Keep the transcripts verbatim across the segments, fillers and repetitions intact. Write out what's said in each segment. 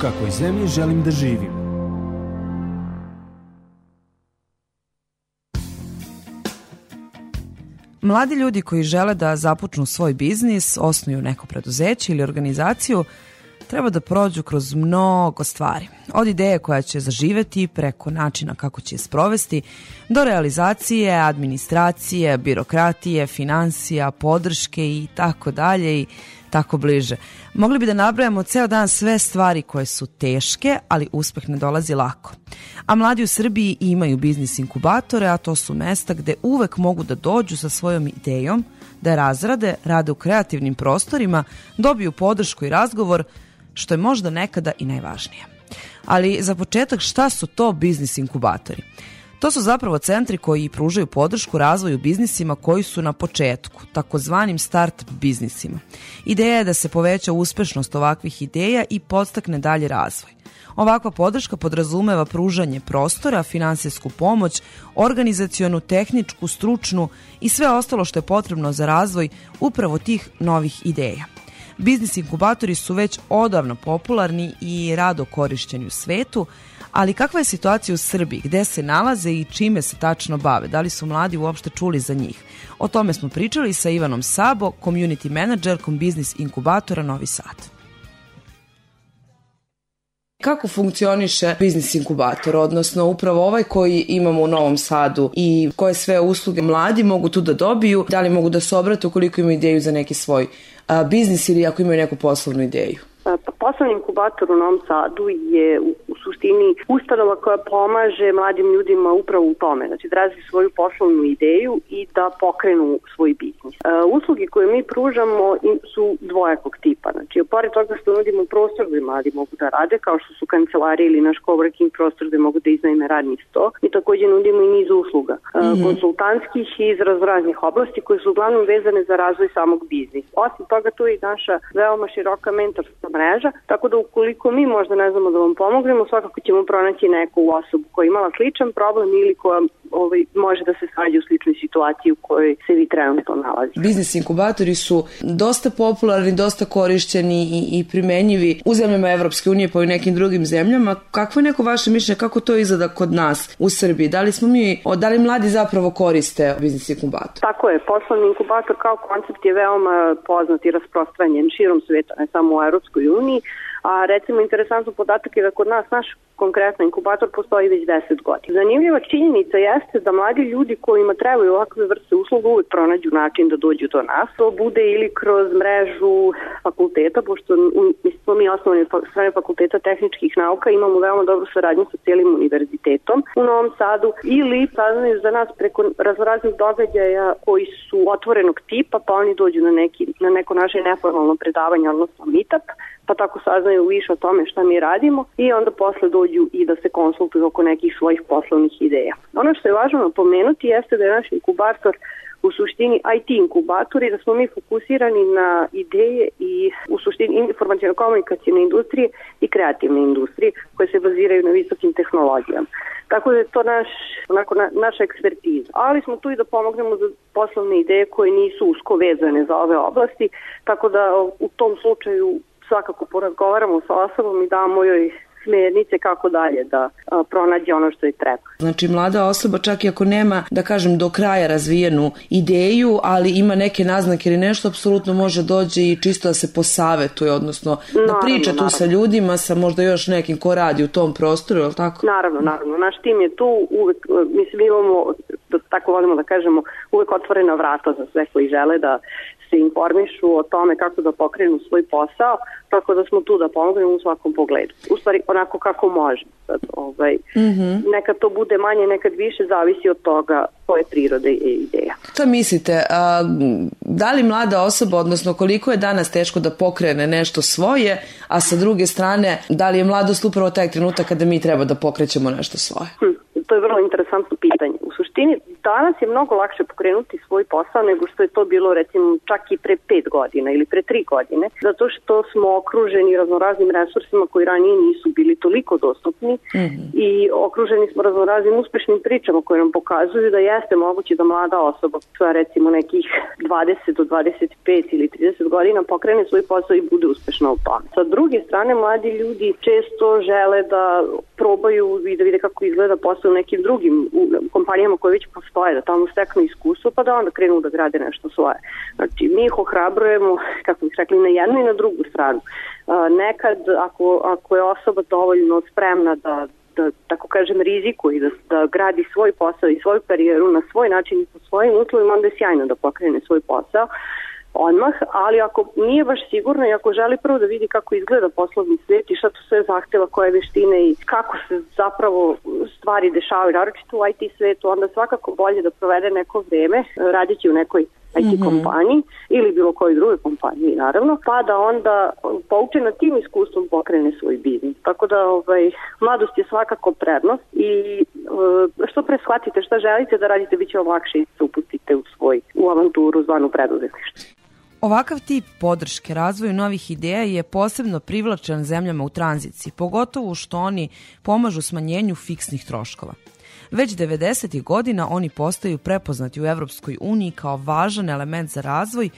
kakvoj zemlji želim da živim. Mladi ljudi koji žele da započnu svoj biznis, osnuju neko preduzeće ili organizaciju, treba da prođu kroz mnogo stvari. Od ideje koja će zaživeti, preko načina kako će je sprovesti, do realizacije, administracije, birokratije, finansija, podrške i tako dalje i tako bliže. Mogli bi da nabrajamo ceo dan sve stvari koje su teške, ali uspeh ne dolazi lako. A mladi u Srbiji imaju biznis inkubatore, a to su mesta gde uvek mogu da dođu sa svojom idejom, da je razrade, rade u kreativnim prostorima, dobiju podršku i razgovor, što je možda nekada i najvažnije. Ali za početak, šta su to biznis inkubatori? To su zapravo centri koji pružaju podršku razvoju biznisima koji su na početku, takozvanim start biznisima. Ideja je da se poveća uspešnost ovakvih ideja i podstakne dalje razvoj. Ovakva podrška podrazumeva pružanje prostora, finansijsku pomoć, organizacionu, tehničku, stručnu i sve ostalo što je potrebno za razvoj upravo tih novih ideja. Biznis inkubatori su već odavno popularni i rado korišćeni u svetu, ali kakva je situacija u Srbiji, gde se nalaze i čime se tačno bave? Da li su mladi uopšte čuli za njih? O tome smo pričali sa Ivanom Sabo, community managerkom biznis inkubatora Novi Sad. Kako funkcioniše biznis inkubator, odnosno upravo ovaj koji imamo u Novom Sadu i koje sve usluge mladi mogu tu da dobiju, da li mogu da se obrate ukoliko imaju ideju za neki svoj a, biznis ili ako imaju neku poslovnu ideju? Pa, poslovni inkubator u Novom Sadu je u, u suštini ustanova koja pomaže mladim ljudima upravo u tome, znači da razviju svoju poslovnu ideju i da pokrenu svoj biznis. E, usluge koje mi pružamo su dvojakog tipa, znači pored toga što nudimo prostor gde mladi mogu da rade, kao što su kancelarije ili naš coworking prostor gde mogu da iznajme radni sto, mi takođe nudimo i niz usluga, e, mm-hmm. konsultantskih iz raznih oblasti koje su uglavnom vezane za razvoj samog biznisa. Osim toga tu je i naša veoma široka mentorska mreža, tako da ukoliko mi možda ne znamo da vam pomognemo, svakako ćemo pronaći neku osobu koja je imala sličan problem ili koja ovaj, može da se snađe u sličnoj situaciji u kojoj se vi trenutno nalazite. Biznis inkubatori su dosta popularni, dosta korišćeni i, i primenjivi u zemljama Evropske unije pa i nekim drugim zemljama. Kakvo je neko vaše mišljenje, kako to izgleda kod nas u Srbiji? Da li smo mi, da li mladi zapravo koriste biznis inkubator? Tako je, poslovni inkubator kao koncept je veoma poznat i rasprostranjen širom sveta, ne samo u Evropskoj uniji, a recimo interesantno podatak je da kod nas naš konkretno inkubator postoji već deset godina. Zanimljiva činjenica jeste da mladi ljudi kojima trebaju ovakve vrste usluga uvek pronađu način da dođu do nas. To bude ili kroz mrežu fakulteta, pošto smo mi osnovni strane fakulteta tehničkih nauka, imamo veoma dobru saradnju sa cijelim univerzitetom u Novom Sadu, ili saznaju za nas preko raznoraznih događaja koji su otvorenog tipa, pa oni dođu na, neki, na neko naše neformalno predavanje, odnosno meetup, pa tako saznaju više o tome šta mi radimo i onda posle dođu i da se konsultuju oko nekih svojih poslovnih ideja. Ono što je važno napomenuti jeste da je naš inkubator u suštini I T inkubator i da smo mi fokusirani na ideje i u suštini informacijno-komunikacijne industrije i kreativne industrije koje se baziraju na visokim tehnologijama. Tako da je to naš, onako, na, naša ekspertiza. Ali smo tu i da pomognemo za poslovne ideje koje nisu usko vezane za ove oblasti, tako da u tom slučaju svakako porazgovaramo sa osobom i damo joj smernice kako dalje da a, pronađe ono što je treba. Znači mlada osoba čak i ako nema, da kažem, do kraja razvijenu ideju, ali ima neke naznake ili nešto, apsolutno može dođe i čisto da se posavetuje, odnosno da naravno, priča tu naravno. Sa ljudima, sa možda još nekim ko radi u tom prostoru, je li tako? Naravno, naravno. Naš tim je tu, uvek, mislim, imamo, da, tako volimo da kažemo, uvek otvorena vrata za sve koji žele da se informišu o tome kako da pokrenu svoj posao, tako da smo tu da pomognemo u svakom pogledu. U stvari, onako kako može. Sad, ovaj, mm-hmm. Nekad to bude manje, nekad više, zavisi od toga koje prirode je ideja. Šta mislite, a, da li mlada osoba, odnosno koliko je danas teško da pokrene nešto svoje, a sa druge strane, da li je mladost upravo taj trenutak kada mi treba da pokrećemo nešto svoje? Hm. To je vrlo interesantno pitanje. U suštini, danas je mnogo lakše pokrenuti svoj posao nego što je to bilo recimo čak i pre pet godina ili pre tri godine, zato što smo okruženi raznoraznim resursima koji ranije nisu bili toliko dostupni mm-hmm. i okruženi smo raznoraznim uspešnim pričama koje nam pokazuju da jeste moguće da mlada osoba koja recimo nekih dvadeset do dvadeset pet ili trideset godina pokrene svoj posao i bude uspešna u tome. Sa druge strane, mladi ljudi često žele da probaju i da vide kako izgleda posao u nekim drugim u kompanijama koje već postoje, da tamo steknu iskustvo pa da onda krenu da grade nešto svoje. Znači, mi ih ohrabrujemo, kako bih rekli, na jednu i na drugu stranu. Nekad, ako, ako je osoba dovoljno spremna da, da tako kažem, rizikuje, da, da gradi svoj posao i svoju karijeru na svoj način i po svojim uslovima, onda je sjajno da pokrene svoj posao odmah, ali ako nije baš sigurno i ako želi prvo da vidi kako izgleda poslovni svijet i šta to sve zahteva, koje veštine i kako se zapravo stvari dešavaju, naročito u I T svijetu, onda svakako bolje da provede neko vreme radeći u nekoj I T mm-hmm. kompaniji ili bilo kojoj drugoj kompaniji, naravno, pa da onda poučena tim iskustvom pokrene svoj biznis. Tako da ovaj, mladost je svakako prednost i e, što pre shvatite šta želite da radite, bit će vam lakše i se upustite u svoj u avanturu zvanu preduzetništvo. Ovakav tip podrške razvoju novih ideja je posebno privlačan zemljama u tranziciji, pogotovo što oni pomažu smanjenju fiksnih troškova. Već devedesetih godina oni postaju prepoznati u Evropskoj uniji kao važan element za razvoj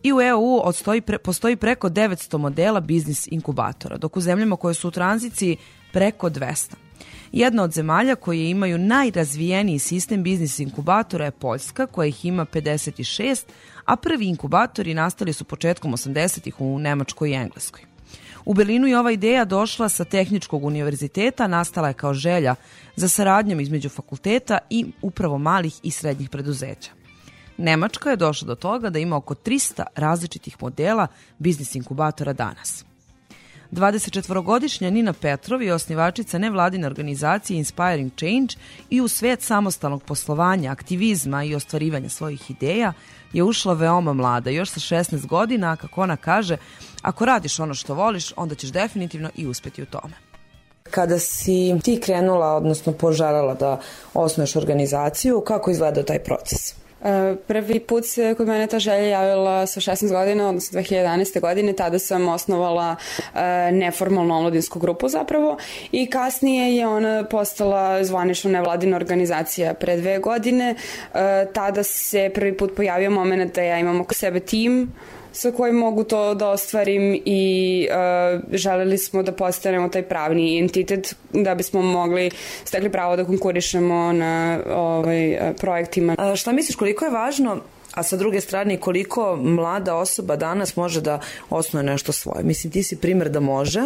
i u E U odstoji, postoji preko devetsto modela biznis inkubatora, dok u zemljama koje su u tranziciji preko dvesta. Jedna od zemalja koje imaju najrazvijeniji sistem biznis inkubatora je Poljska, koja ih ima pedeset šest, a prvi inkubatori nastali su početkom osamdesetih u Nemačkoj i Engleskoj. U Berlinu je ova ideja došla sa Tehničkog univerziteta, nastala je kao želja za saradnjom između fakulteta i upravo malih i srednjih preduzeća. Nemačka je došla do toga da ima oko trista različitih modela biznis inkubatora danas. dvadesetčetvorogodišnja Nina Petrov je osnivačica nevladine organizacije Inspiring Change i u svijet samostalnog poslovanja, aktivizma i ostvarivanja svojih ideja je ušla veoma mlada, još sa šesnaest godina, a kako ona kaže, ako radiš ono što voliš, onda ćeš definitivno i uspjeti u tome. Kada si ti krenula, odnosno poželjela da osnuješ organizaciju, kako izgleda taj proces? Prvi put se kod mene ta želja javila sa šesnaest godina, odnosno dve hiljade jedanaeste. godine, tada sam osnovala neformalnu omladinsku grupu zapravo i kasnije je ona postala zvanična nevladina organizacija pre dve godine. Tada se prvi put pojavio moment da ja imam oko sebe tim sa kojim mogu to da ostvarim i uh, želeli smo da postanemo taj pravni entitet da bismo mogli stekli pravo da konkurišemo na ovaj, projektima. A šta misliš, koliko je važno, a sa druge strane koliko mlada osoba danas može da osnuje nešto svoje? Mislim, ti si primjer da može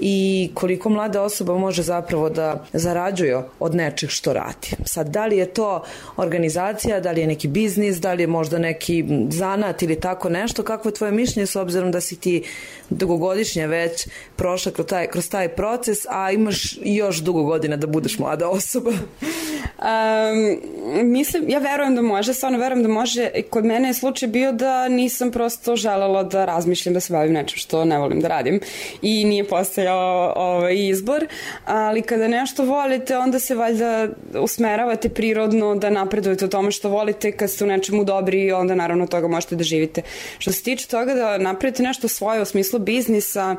i koliko mlada osoba može zapravo da zarađuje od nečeg što radi. Sad, da li je to organizacija, da li je neki biznis, da li je možda neki zanat ili tako nešto, kako je tvoje mišljenje s obzirom da si ti dugogodišnje već prošla kroz taj, kroz taj proces, a imaš još dugo godina da budeš mlada osoba? Um, mislim, ja verujem da može, stvarno verujem da može. Kod mene je slučaj bio da nisam prosto želela da razmišljam da se bavim nečem što ne volim da radim i nije postojao ovaj izbor, ali kada nešto volite onda se valjda usmeravate prirodno da napredujete u tome što volite. Kad ste u nečemu dobri onda naravno toga možete da živite. Što se tiče toga da napravite nešto svoje u smislu biznisa,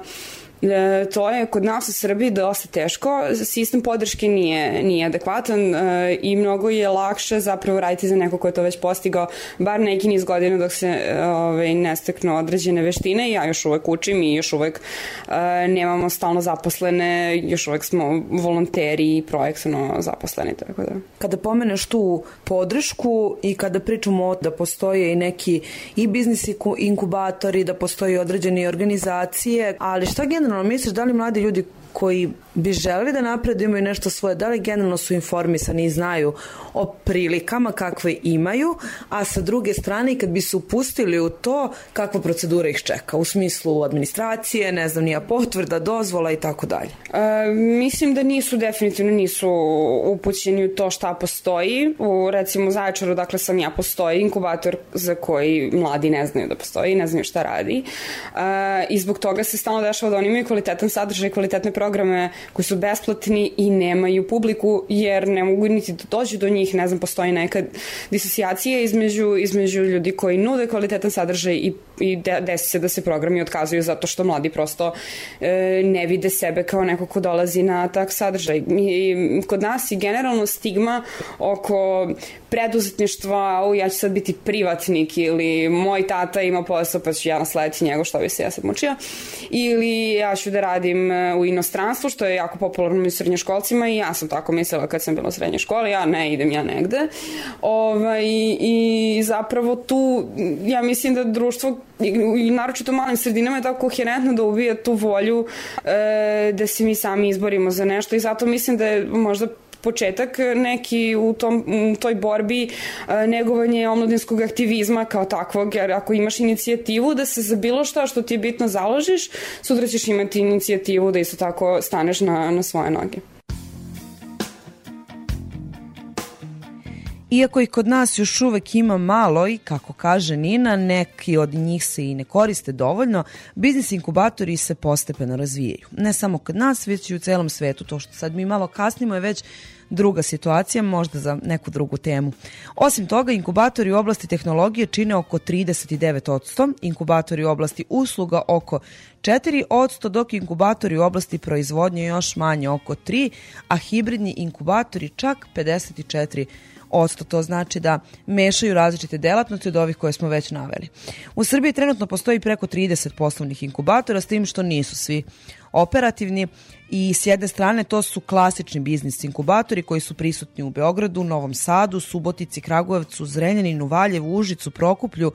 E, to je kod nas u Srbiji dosta teško, sistem podrške nije, nije adekvatan e, i mnogo je lakše zapravo raditi za neko ko je to već postigao bar neki niz godina dok se e, ovaj, ne steknu određene veštine. Ja još uvek učim i još uvek e, nemamo stalno zaposlene, još uvek smo volonteri i projektno zaposleni. Tako da. Kada pomeneš tu podršku i kada pričamo o da postoje i neki i biznis inkubatori, da postoje određene organizacije, ali šta generalno misliš, da li mladi ljudi koji bi želeli da napredu imaju nešto svoje, da li generalno su informisani i znaju o prilikama kakve imaju, a sa druge strane kad bi se upustili u to, kakva procedura ih čeka u smislu administracije, ne znam, nija potvrda, dozvola i tako dalje? Mislim da nisu, definitivno nisu upućeni u to šta postoji. U recimo Zaječaru, dakle sam ja, postoji inkubator za koji mladi ne znaju da postoji, ne znaju šta radi. E, I zbog toga se stalno dešava da oni imaju kvalitetan sadržaj, kvalitetne programe koji su besplatni i nemaju publiku jer ne mogu niti da dođu do njih, ne znam, postoji neka disocijacija između, između ljudi koji nude kvalitetan sadržaj i, i de, desi se da se programi otkazuju zato što mladi prosto e, ne vide sebe kao neko ko dolazi na tak sadržaj. I, kod nas je generalno stigma oko preduzetništva, o, ja ću sad biti privatnik ili moj tata ima posao pa ću ja naslediti njegov, što bi se ja sad mučio, ili ja ću da radim u inostranstvu, što je jako popularno u srednjoškolcima i ja sam tako mislila kad sam bila u srednjoj školi, ja ne idem ja negde. Ovaj, i zapravo tu ja mislim da društvo i naročito u malim sredinama je tako koherentno da ubija tu volju e, da se mi sami izborimo za nešto i zato mislim da je možda početak neki u, tom, u toj borbi e, negovanje omladinskog aktivizma kao takvog, jer ako imaš inicijativu da se za bilo šta što ti je bitno založiš, sutra ćeš imati inicijativu da isto tako staneš na, na svoje noge. Iako i kod nas još uvek ima malo i, kako kaže Nina, neki od njih se i ne koriste dovoljno, biznis inkubatori se postepeno razvijaju. Ne samo kod nas, već i u celom svetu. To što sad mi malo kasnimo je već druga situacija, možda za neku drugu temu. Osim toga, inkubatori u oblasti tehnologije čine oko trideset devet posto, inkubatori u oblasti usluga oko četiri posto, dok inkubatori u oblasti proizvodnje još manje, oko tri posto, a hibridni inkubatori čak pedeset četiri posto. Odsto, to znači da mešaju različite delatnosti od ovih koje smo već naveli. U Srbiji trenutno postoji preko trideset poslovnih inkubatora, s tim što nisu svi operativni i s jedne strane to su klasični biznis inkubatori koji su prisutni u Beogradu, Novom Sadu, Subotici, Kragujevcu, Zrenjaninu, Valjevu, Užicu, Prokuplju,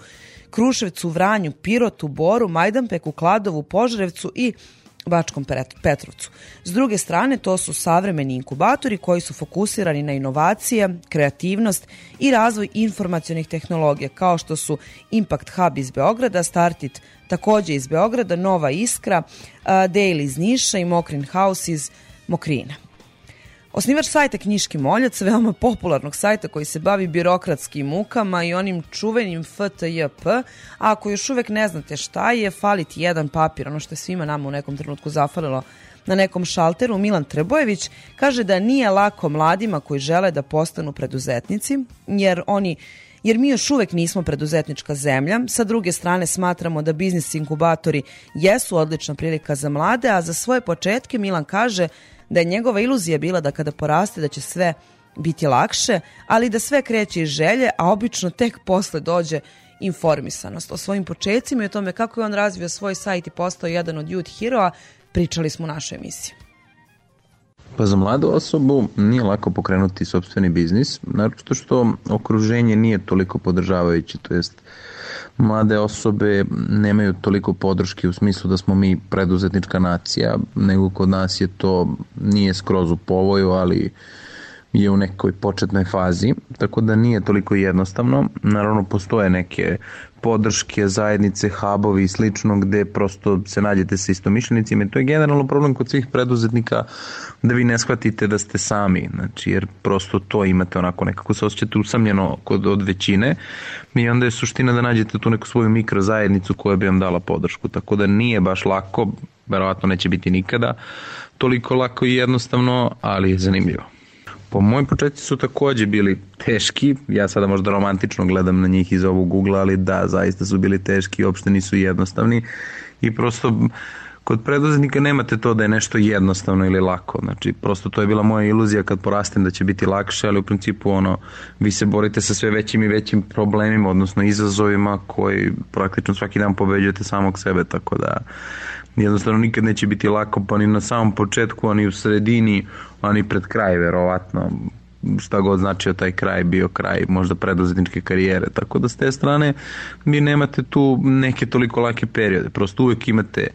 Kruševcu, Vranju, Pirotu, Boru, Majdanpeku, Kladovu, Požarevcu i Bačkom Petrovcu. S druge strane, to su savremeni inkubatori koji su fokusirani na inovacije, kreativnost i razvoj informacionih tehnologija, kao što su Impact Hub iz Beograda, Startit takođe iz Beograda, Nova Iskra, Daily iz Niša i Mokrin House iz Mokrina. Osnivač sajta Knjiški moljac, veoma popularnog sajta koji se bavi birokratskim mukama i onim čuvenim F T J P, a ako još uvek ne znate šta je, fali ti jedan papir, ono što je svima nama u nekom trenutku zafalilo na nekom šalteru, Milan Trebojević kaže da nije lako mladima koji žele da postanu preduzetnici, jer oni jer mi još uvek nismo preduzetnička zemlja. Sa druge strane, smatramo da biznis inkubatori jesu odlična prilika za mlade, a za svoje početke Milan kaže da je njegova iluzija bila da kada poraste da će sve biti lakše, ali da sve kreće iz želje, a obično tek posle dođe informisanost. O svojim početcima i o tome kako je on razvio svoj sajt i postao jedan od youth heroa, pričali smo u našoj emisiji. Pa za mladu osobu nije lako pokrenuti sopstveni biznis, naročito što okruženje nije toliko podržavajuće, to jest mlade osobe nemaju toliko podrške u smislu da smo mi preduzetnička nacija, nego kod nas je to nije skroz u povoju, ali je u nekoj početnoj fazi, tako da nije toliko jednostavno. Naravno, postoje neke podrške, zajednice, hubovi i slično gde prosto se nađete sa istomišljenicima i to je generalno problem kod svih preduzetnika da vi ne shvatite da ste sami, znači jer prosto to imate onako nekako se osjećate usamljeno kod od većine i onda je suština da nađete tu neku svoju mikrozajednicu koja bi vam dala podršku, tako da nije baš lako, verovatno neće biti nikada toliko lako i jednostavno, ali je zanimljivo. Po moji početci su takođe bili teški, ja sada možda romantično gledam na njih iz ovog ugla, ali da, zaista su bili teški i uopšte nisu jednostavni i prosto kod preduzetnika nemate to da je nešto jednostavno ili lako, znači prosto to je bila moja iluzija kad porastem da će biti lakše, ali u principu ono, vi se borite sa sve većim i većim problemima, odnosno izazovima koji praktično svaki dan pobeđujete samog sebe, tako da jednostavno nikad neće biti lako, pa ni na samom početku, ani u sredini, ani pred kraj, verovatno, šta god značio taj kraj, bio kraj možda preduzetničke karijere, tako da s te strane vi nemate tu neke toliko lake periode, prosto uvek imate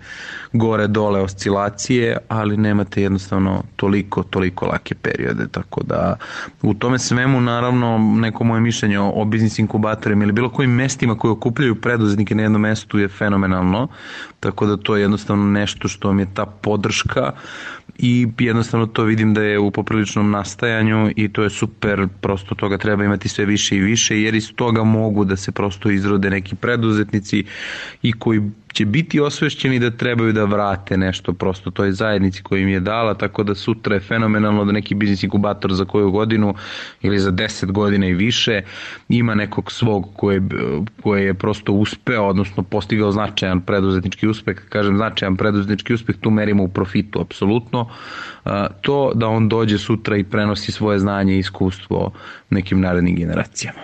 gore, dole, oscilacije, ali nemate jednostavno toliko, toliko lake periode, tako da u tome svemu naravno neko moje mišljenje o, o biznis inkubatorima ili bilo kojim mestima koje okupljaju preduzetnike na jednom mestu je fenomenalno, tako da to je jednostavno nešto što vam je ta podrška i jednostavno to vidim da je u popriličnom nastajanju i to je super, prosto toga treba imati sve više i više jer iz toga mogu da se prosto izrode neki preduzetnici i koji će biti osvešćeni da trebaju da vrate nešto prosto toj zajednici koju im je dala, tako da sutra je fenomenalno da neki biznis inkubator za koju godinu ili za deset godina i više ima nekog svog koje, koje je prosto uspeo, odnosno postigao značajan preduzetnički uspeh. Kažem značajan preduzetnički uspeh, tu merimo u profitu apsolutno. To da on dođe sutra i prenosi svoje znanje i iskustvo nekim narednim generacijama.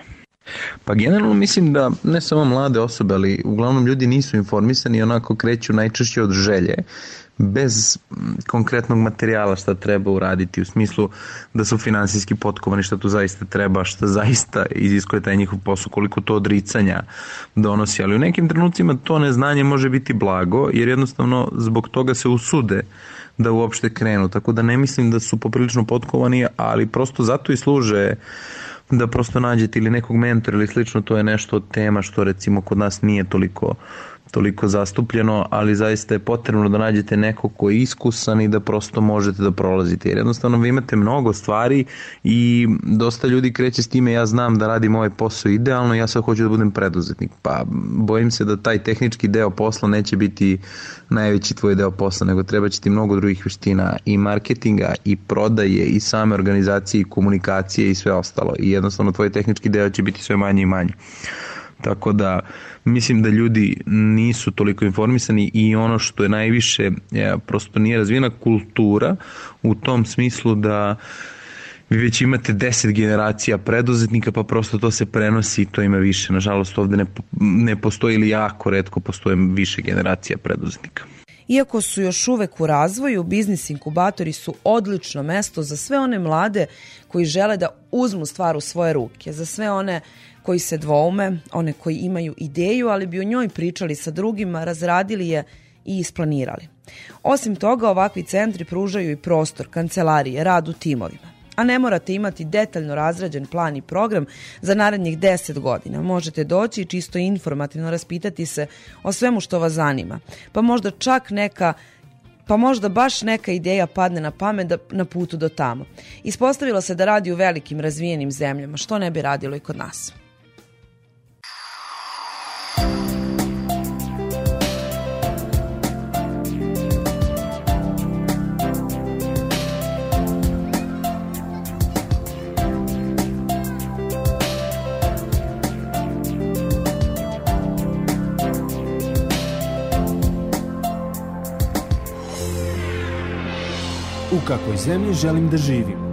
Pa generalno mislim da ne samo mlade osobe, ali uglavnom ljudi nisu informisani i onako kreću najčešće od želje, bez konkretnog materijala šta treba uraditi, u smislu da su finansijski potkovani šta tu zaista treba, šta zaista iziskuje taj njihov posao, koliko to odricanja donosi, ali u nekim trenucima to neznanje može biti blago, jer jednostavno zbog toga se usude da uopšte krenu, tako da ne mislim da su poprilično potkovani, ali prosto zato i služe da prosto nađete ili nekog mentora ili slično, to je nešto od tema što recimo kod nas nije toliko toliko zastupljeno, ali zaista je potrebno da nađete nekog ko je iskusan i da prosto možete da prolazite, jer jednostavno vi imate mnogo stvari i dosta ljudi kreće s time, ja znam da radim ovaj posao idealno, ja sad hoću da budem preduzetnik, pa bojim se da taj tehnički deo posla neće biti najveći tvoj deo posla, nego treba će ti mnogo drugih veština i marketinga i prodaje i same organizacije i komunikacije i sve ostalo i jednostavno tvoj tehnički deo će biti sve manje i manje. Tako da mislim da ljudi nisu toliko informisani i ono što je najviše, je, prosto nije razvijena kultura u tom smislu da vi već imate deset generacija preduzetnika, pa prosto to se prenosi i to ima više. Nažalost ovde ne, ne postoji ili jako retko postoje više generacija preduzetnika. Iako su još uvek u razvoju, biznis inkubatori su odlično mesto za sve one mlade koji žele da uzmu stvar u svoje ruke, za sve one koji se dvoume, one koji imaju ideju, ali bi o njoj pričali sa drugima, razradili je i isplanirali. Osim toga, ovakvi centri pružaju i prostor, kancelarije, rad u timovima. A ne morate imati detaljno razrađen plan i program za narednih deset godina. Možete doći i čisto informativno raspitati se o svemu što vas zanima. Pa možda čak neka pa možda baš neka ideja padne na pamet da, na putu do tamo. Ispostavilo se da radi u velikim razvijenim zemljama, što ne bi radilo i kod nas. U kakvoj zemlji želim da živim?